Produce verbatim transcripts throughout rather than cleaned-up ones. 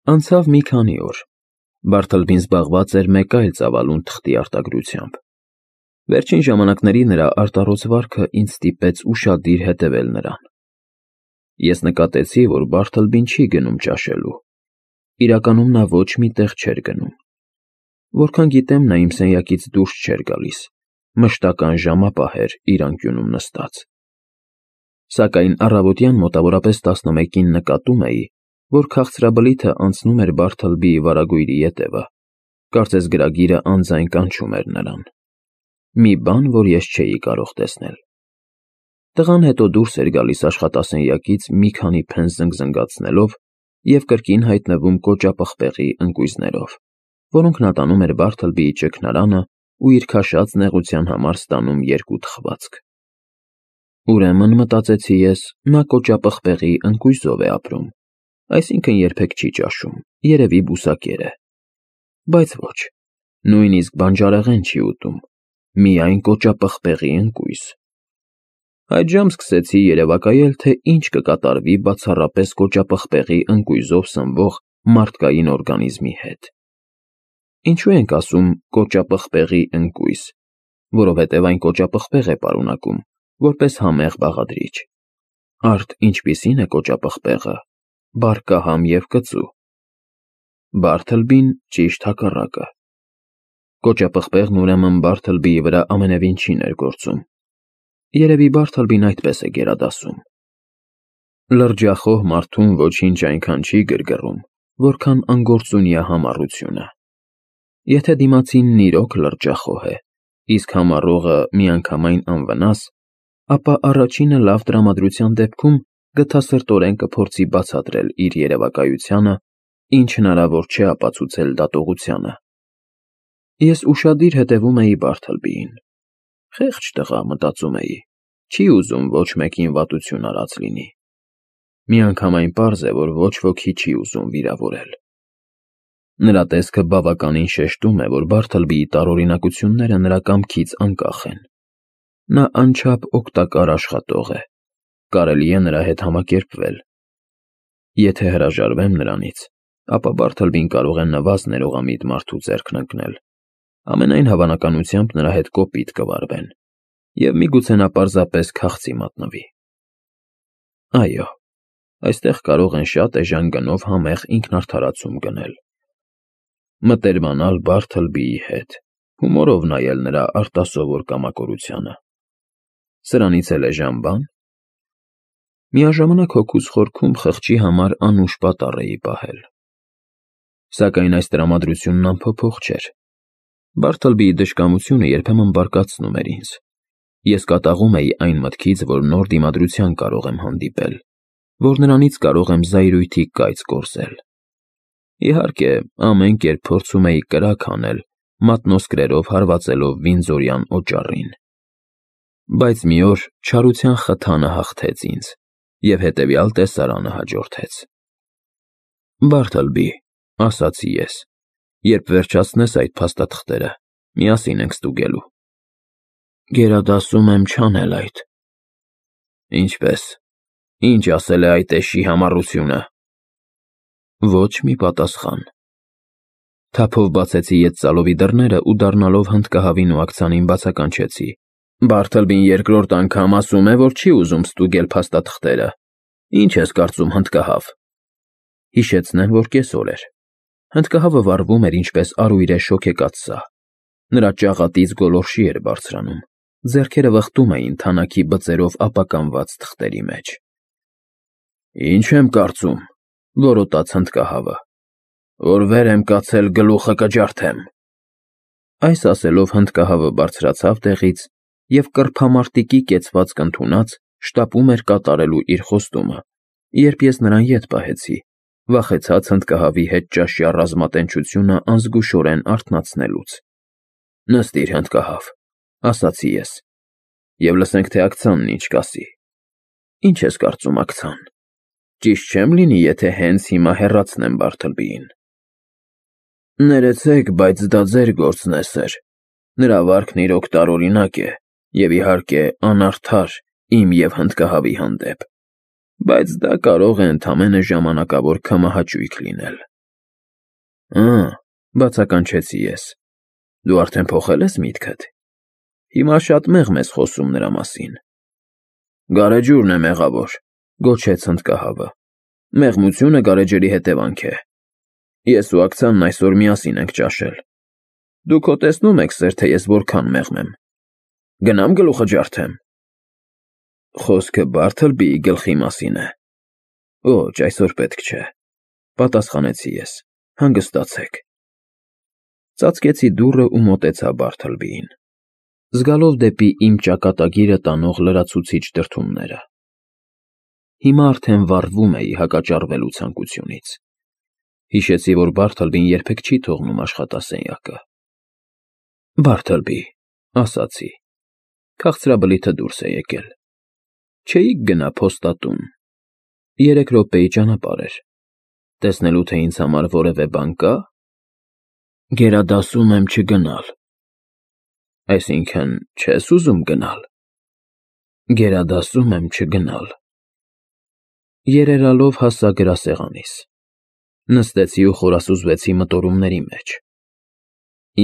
Անցավ մի քանի օր։ Բարթլբին զբաղված էր մեկ այլ ծավալուն թղթի արտագրությամբ։ Վերջին ժամանակների նրա արտառոց վարքը ինձ ստիպեց ուշադիր հետևել նրան։ Ես նկատեցի, որ Բարթլբին չի գնում ճաշելու։ Իրականում նա ոչ մի տեղ չէր գնում։ Որքան գիտեմ, նա իմ սենյակից դուրս չէր գալիս, մշտական ժամապահ էր իր անկյունում նստած։ Սակայն առավոտյան մոտավորապես տասնմեկին նկատում էի, որ քաղցրաբլիթը անցնում էր Բարթլբիի վարագույրի ետևը, կարծես գրագիրը անձայն կանչում էր նրան։ Մի բան, որ ես չէի կարող տեսնել։ Տղան հետո դուրս էր գալիս աշխատասենյակից մի քանի փեն զնգզնգացնելով և կրկին հայտնվում կոճապղպեղի ընկույզներով, որոնք նա տանում էր Բարթլբիի ճգնարանը ու իր քաշած նեղության համար ստանում երկու թխվածք։ Ուրեմն, մտածեցի ես, նա կոճապղպեղի ընկույզով է ապրում, այսինքն երբեք չի ճաշում, երևի բուսակեր է։ Բայց ոչ, նույնիսկ բանջարեղեն չի ուտում, միայն կոճապղպեղի ընկույզ։ Այդ ժամ սկսեցի երևակայել, թե ինչ կկատարվի բացառապես կոճապղպեղի ընկույզով սնվող մարդկային օրգանիզմի հետ։ Ինչու ենք ասում կոճապղպեղի ընկույզ, որովհետև այն կոճապղպեղ է պարունակում, որպես համեղ բաղադրիչ։ Արդ ինչպիսին է կոճապղպեղը, բարկահամ և կծու։ Բարթլբին ճիշտ հակառակը։ Կոճապղպեղն ուրեմն Բարթլբիի վրա ամենևին չի ներգործում։ Երևի Բարթլբին այդպես է գերադասում։ Լրջախոհ մարդուն ոչինչ այնքան չի գրգռում, որքան անգործունյա համառությունը։ Եթե դիմացինն իրոք լրջախոհ է, իսկ համառողը միանգամայն անվնաս, ապա առաջինը լավ տրամադրության դեպքում գթասրտորեն կփորձի բացատրել իր երևակայությանը, ինչ հնարավոր չէ ապացուցել դատողությանը։ Ես ուշադիր հետևում էի Բարթլբիին։ Խեղճ տղա, մտածում էի, չի ուզում ոչ մեկին վատություն արած լինի։ Միանգամայն պարզ է, որ ոչ ոքի չի ուզում վիրավորել։ Նրա տեսքը բավականին շեշտում է, որ Բարթլբիի տարօրինակությունները նրա կամքից անկախ են։ Նա անչափ օգտակար աշխատող է, կարելի է նրա հետ համակերպվել։ Եթե հրաժարվեմ նրանից, ապա Բարթլբին կարող է նվազ ներողամիտ մարդու ձեռքն ընկնել, ամենայն հավանականությամբ նրա հետ կոպիտ կվարվեն, և միգուցե նա պարզապես քաղցի մատնվի։ Այո, այստեղ կարող են շատ էժան գնով համեղ ինքնարդարացում գնել։ Մտերմանալ Բարթլբիի հետ, հումորով նայել նրա արտասովոր կամակորությանը։ Սրանից էլ էժան բա՞ն։ Միաժամանակ հոգուս խորքում խղճի համար անուշ պատառ էի պահել։ Սակայն այս տրամադրությունն անփոփոխ չէր։ Բարթլբիի դժկամությունը երբեմն բարկացնում էր ինձ։ Ես կատաղում էի այն մտքից, որ նոր դիմադրության կարող եմ հանդիպել, որ նրանից կարող եմ զայրույթի կայծ կորզել։ Իհարկե, ամեն կերպ փորձում էի կրակ հանել, մատնոսկրերով հարվածելով վինձորյան օճառին։ Բայց մի օր չարության խթանը հաղթեց ինձ, և հետևյալ տեսարանը հաջորդեց։ Բարթլբի, ասացի ես, երբ վերջացնես այդ փաստաթղթերը, միասին ենք ստուգելու։ Գերադասում եմ չանել այդ։ Ինչպե՞ս, ինչ ասել է այդ էշի համառությունը։ Ոչ մի պատասխան։ Թափով բացեցի ետծալովի դռները ու դառնալով հնդկահավին ու աքցանին բացականչեցի. Բարթլբին երկրորդ անգամ ասում է, որ չի ուզում ստուգել փաստաթղթերը։ Ինչ ես կարծում, հնդկահավ։ Հիշեցնեմ, որ կեսօր էր։ Հնդկահավը վառվում էր ինչպես արույրե շոգեկաց սա։ Նրա ճաղատից գոլորշի էր բարձրանում, ձեռքերը վխտում էին թանաքի բծերով ապականված թղթերի մեջ։ Ինչ եմ կարծում, որոտաց հնդկահավը, որ վեր եմ կացել գլուխը կջարդեմ։ Այս ասելով հնդկահավը բարձրացավ տեղից և կռփամարտիկի կեցվածք ընդունած շտապում էր կատարելու իր խոստումը, երբ ես նրան ետ պահեցի, վախեցած հնդկահավի հետ ճաշյա ռազմատենչությունը անզգուշորեն արթնացնելուց։ Նստիր, հնդկահավ, ասացի ես, և լսենք, թե աքցանն ինչ կասի։ Ինչ ես կարծում, աքցան, ճիշտ չեմ լինի, եթե հենց հիմա հեռացնեմ Բարթլբիին։ Ներեցեք, բայց դա ձեր գործն է, սըր։ Նրա վարքն իրոք տարօրինակ է և, իհարկե, անարդար իմ և հնդկահավի հանդեպ, բայց դա կարող է ընդամենը ժամանակավոր քմահաճույք լինել։ Ա, բացականչեցի ես։ Դու արդեն փոխել ես միտքդ։ Հիմա շատ մեղմ ես խոսում նրա մասին։ Գարեջուրն է մեղավոր, գոչեց հնդկահավը։ Մեղմությունը գարեջրի հետևանք է։ Ես ու ակցիանն այսօր միասին ենք ճաշել։ Դուք հո տեսնում եք, սեր, թե ես որքան մեղմ եմ։ Գնամ գլուխը ջարդեմ։ Խոսքը Բարթլբիի գլխի մասին է։ Ոչ, այսօր պետք չէ, պատասխանեցի ես, հանգստացեք։ Ծածկեցի դուռը ու մոտեցա Բարթլբիին, զգալով դեպի իմ ճակատագիրը տանող լրացուցիչ դրդումները։ Հիմա արդեն վառվում էի հակաճառվելու ցանկությունից։ Հիշեցի, որ Բարթլբին երբեք չի թողնում աշխատասենյակը։ Բարթլբի, ասացի, քաղցրաբլիթը դուրս է եկել։ Չէիք գնա փոստատուն։ Երեք րոպեի ճանապարհ էր։ Տեսնելու, թե ինձ համար որևէ բան կա։ Գերադասում եմ չգնալ։ Այսինքն, չես ուզում գնալ։ Գերադասում եմ չգնալ։ Երերալով հասա գրասեղանիս։ Նստեցի ու խորասուզվեցի մտորումների մեջ։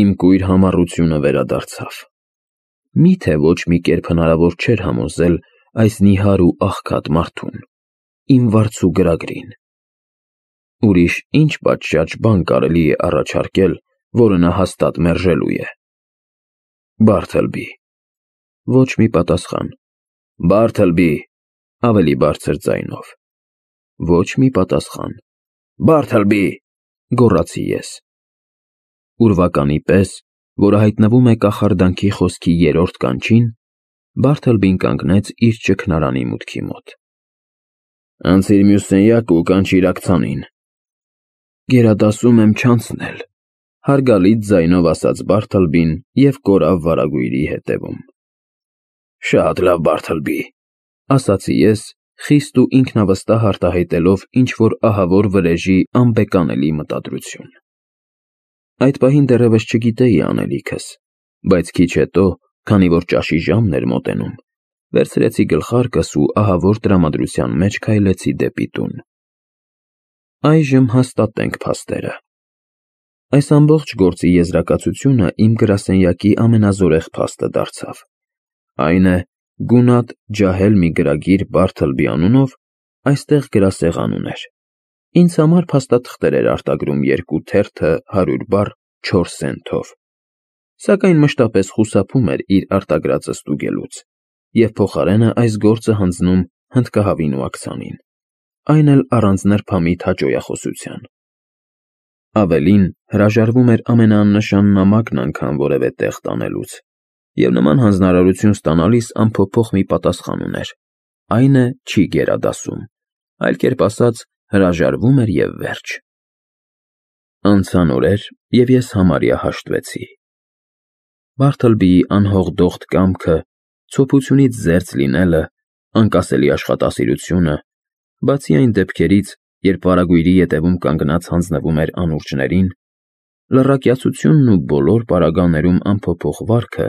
Իմ կույր համառությունը վերադարձավ։ Միթե ոչ մի կերպ հնարավոր չէր համոզել այս նիհար ու աղքատ մարդուն, իմ վարձու գրագրին։ Ուրիշ ինչ պատշաճ բան կարելի է առաջարկել, որը նա հաստատ մերժելու է։ Բարթլբի։ Ոչ մի պատասխան։ Բարթլբի, ավելի բարձր ձայնով։ Ոչ մի պատասխան։ Բարթլբի, գոռացի ես։ Ուրվականի պես, որը հայտնվում է կախարդանքի խոսքի երրորդ կանչին, Բարթլբին կանգնեց իր ճգնարանի մուտքի մոտ։ Անցիր մյուս սենյակը ու կանչիր ակցանին։ Գերադասում եմ չանցնել, հարգալից ձայնով ասաց Բարթլբին և կորավ վարագույրի հետևում։ Շատ լավ, Բարթլբի, ասացի ես, խիստ ու ինքնավստահ արտահայտելով ինչ-որ ահավոր վրեժի անբեկանելի մտադրություն։ Այդ պահին դեռևս չգիտեի անելիքս, բայց քիչ հետո, քանի որ ճաշի ժամն էր մոտենում, վերցրեցի գլխարկս ու ահավոր տրամադրության մեջ քայլեցի դեպի տուն։ Այժմ հաստատենք փաստերը։ Այս ամբողջ գործի եզրակացությունը իմ գրասենյակի ամենազորեղ փաստը դարձավ։ Այն է, գունատ ջահել մի գրագիր Բարթլբի անունով այստեղ գրասեղան ուներ։ Ինձ համար փաստաթղթեր էր արտագրում երկու թերթը հարյուր բառ չորս սենթով, սակայն մշտապես խուսափում էր իր արտագրածը ստուգելուց և փոխարենը այս գործը հանձնում հնդկահավին ու ակցանին, այն էլ առանց նրբամիտ հաճոյախոսության։ Ավելին, հրաժարվում էր ամենաաննշան նամակն անգամ որևէ տեղ տանելուց, և նման հանձնարարություն ստանալիս անփոփոխ մի պատասխան ուներ. այն է, չի գերադասում, այլ կերպ ասած, հրաժարվում էր և վերջ։ Անցան օրեր, և ես համարյա հաշտվեցի։ Բարթլբիի անհողդողդ կամքը, ցոփությունից զերծ լինելը, անկասելի աշխատասիրությունը, բացի այն դեպքերից, երբ վարագույրի ետևում կանգնած հանձնվում էր անուրջներին, լռակյացությունն ու բոլոր պարագաներում անփոփոխ վարքը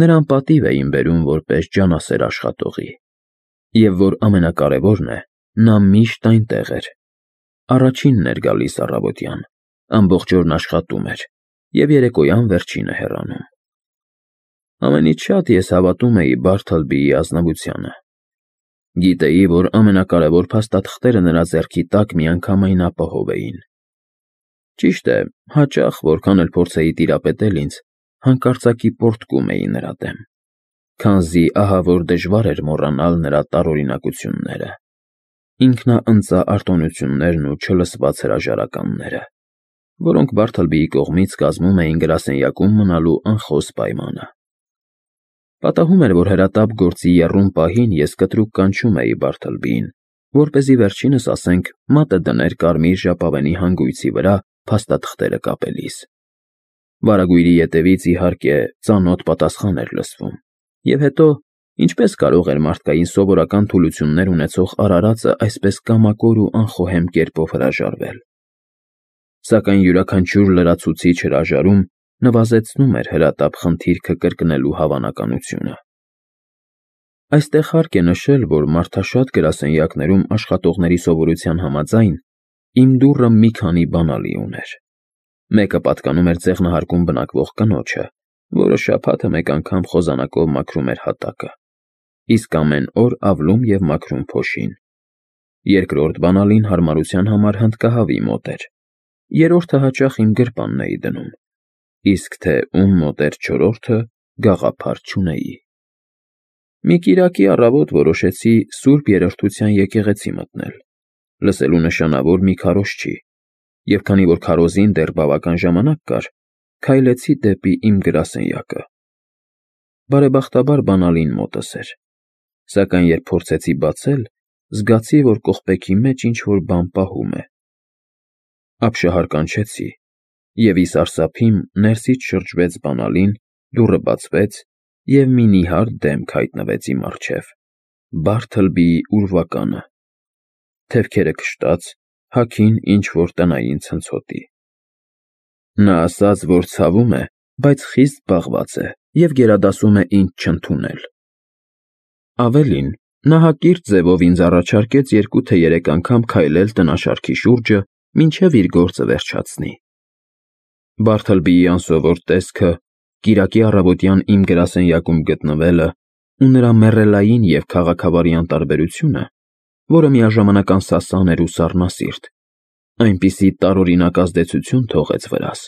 նրան պատիվ էին բերում որպես ջանասեր աշխատողի, և որ ամենակարևորն է, նա միշտ այնտեղ էր, առաջինն էր գալիս առավոտյան, ամբողջ օրն աշխատում էր և երեկոյան վերջինը հեռանում։ Ամենից շատ ես հավատում էի Բարթլբիի ազնվությանը։ Գիտեի, որ ամենակարևոր փաստաթղթերը նրա ձեռքի տակ միանգամայն ապահով էին։ Ճիշտ է, հաճախ, որքան էլ փորձեի տիրապետել ինձ, հանկարծակի պոռթկում էի նրա դեմ, քանզի ահավոր դժվար էր մոռանալ նրա տարօրինակությունները, ինքնաընծա արտոնություններն ու չլսված հրաժարականները, որոնք Բարթլբիի կողմից կազմում էին գրասենյակում մնալու անխոս պայմանը։ Պատահում էր, որ հրատապ գործի եռում պահին ես կտրուկ կանչում էի Բարթլբիին, որպեսզի վերջինս, ասենք, մատը դներ կարմիր ժապավենի հանգույցի վրա փաստաթղթերը կապելիս։ Վարագույրի ետևից, իհարկե, ծանոթ պատասխան էր լսվում, և հետո, ինչպես կարող էր մարդկային սովորական թուլություններ ունեցող արարածը այսպես կամակոր ու անխոհեմ կերպով հրաժարվել։ Սակայն յուրաքանչյուր լրացուցիչ հրաժարում նվազեցնում էր հրատապ խնդիրքը կրկնելու հավանականությունը։ Այստեղ հարկ է նշել, որ մարդաշատ գրասենյակներում աշխատողների սովորության համաձայն, իմ դուռը մի քանի բանալի ուներ։ Մեկը պատկանում էր ձեղնահարկում բնակվող կնոջը, որը շաբաթը մեկ անգամ խոզանակով մաքրում էր հատակը, իսկ ամեն օր ավլում և մաքրում փոշին։ Երկրորդ բանալին հարմարության համար հնդկահավի մոտ էր, երրորդը հաճախ իմ գրպանն էի դնում, իսկ թե ում մոտ էր չորրորդը, գաղափար չունեի։ Մի կիրակի առավոտ որոշեցի Սուրբ Երրորդության եկեղեցի մտնել, լսելու նշանավոր մի քարոզչի, և քանի որ քարոզին դեռ բավական ժամանակ կար, քայլեցի դեպի իմ գրասենյակը։ Բարեբախտաբար բանալին մոտս էր, սակայն երբ փորձեցի բացել, զգացի, որ կողպեքի մեջ ինչ֊որ բան պահում է։ Ապշահար կանչեցի, և ի սարսափիմ ներսից շրջվեց բանալին, դուռը բացվեց, և մի նիհար դեմք հայտնվեց իմ առջև՝ Բարթլբիի ուրվականը, թևքերը քշտած, հագին ինչ֊որ տնային ցնցոտի։ Նա ասաց, որ ցավում է, բայց խիստ զբաղված է և գերադասում է ինձ չընդունել։ Ավելին, նա հակիրճ ձևով ինձ առաջարկեց երկու թե երեք անգամ քայլել տնաշարքի շուրջը, մինչև իր գործը վերջացնի։ Բարթլբիի անսովոր տեսքը, կիրակի առավոտյան իմ գրասենյակում գտնվելը ու նրա մեռելային և քաղաքավարյան տարբերությունը, որը միաժամանակ անսասան էր ու սառնասիրտ, այնպիսի տարօրինակ ազդեցություն թողեց վրաս,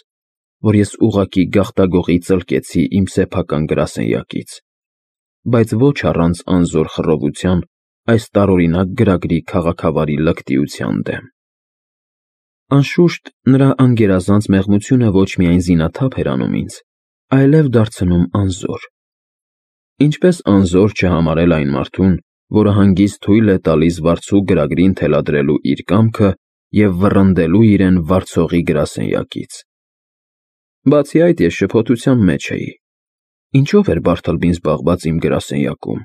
որ ես ուղղակի գաղտագողի ծլկեցի իմ սեփական գրասենյակից, բայց ոչ առանց անզոր խռովության այս տարօրինակ գրագրի քաղաքավարի լկտիության դեմ։ Անշուշտ, նրա անգերազանց մեղմությունը ոչ միայն զինաթափ էր անում ինձ, այլև դարձնում անզոր։ Ինչպես անզոր չհամարել այն մարդուն, որը հանգիստ թույլ է տալիս վարձու գրագրին թելադրելու իր կամքը և վռնդելու իրեն վարձողի գրասենյակից։ Բացի այդ, ես շփոթության մեջ էի. ինչո՞վ էր Բարթլբին զբաղված իմ գրասենյակում,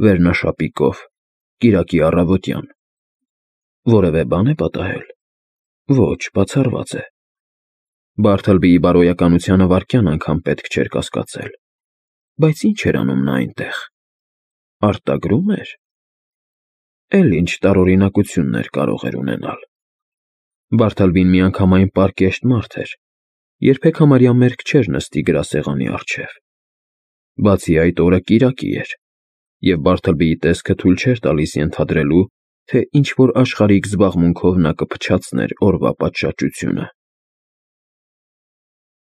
վերնաշապիկով, կիրակի առավոտյան։ Որևէ բան է պատահել։ Ոչ, բացառված է։ Բարթլբիի բարոյականությանը վայրկյան անգամ պետք չէր կասկածել։ Բայց ի՞նչ էր անում նա այնտեղ։ Արտագրո՞ւմ էր։ Էլ ինչ տարօրինակություններ կարող էր ունենալ։ Բարթլբին միանգամայն պարկեշտ մարդ էր, երբեք համարյա մերկ չէր նստի գրասեղանի առջև։ Բացի այդ, օրը կիրակի էր, և Բարթլբիի տեսքը թույլ չէր տալիս ենթադրելու, թե ինչ֊որ աշխարհիկ զբաղմունքով նա կփչացներ օրվա պատշաճությունը։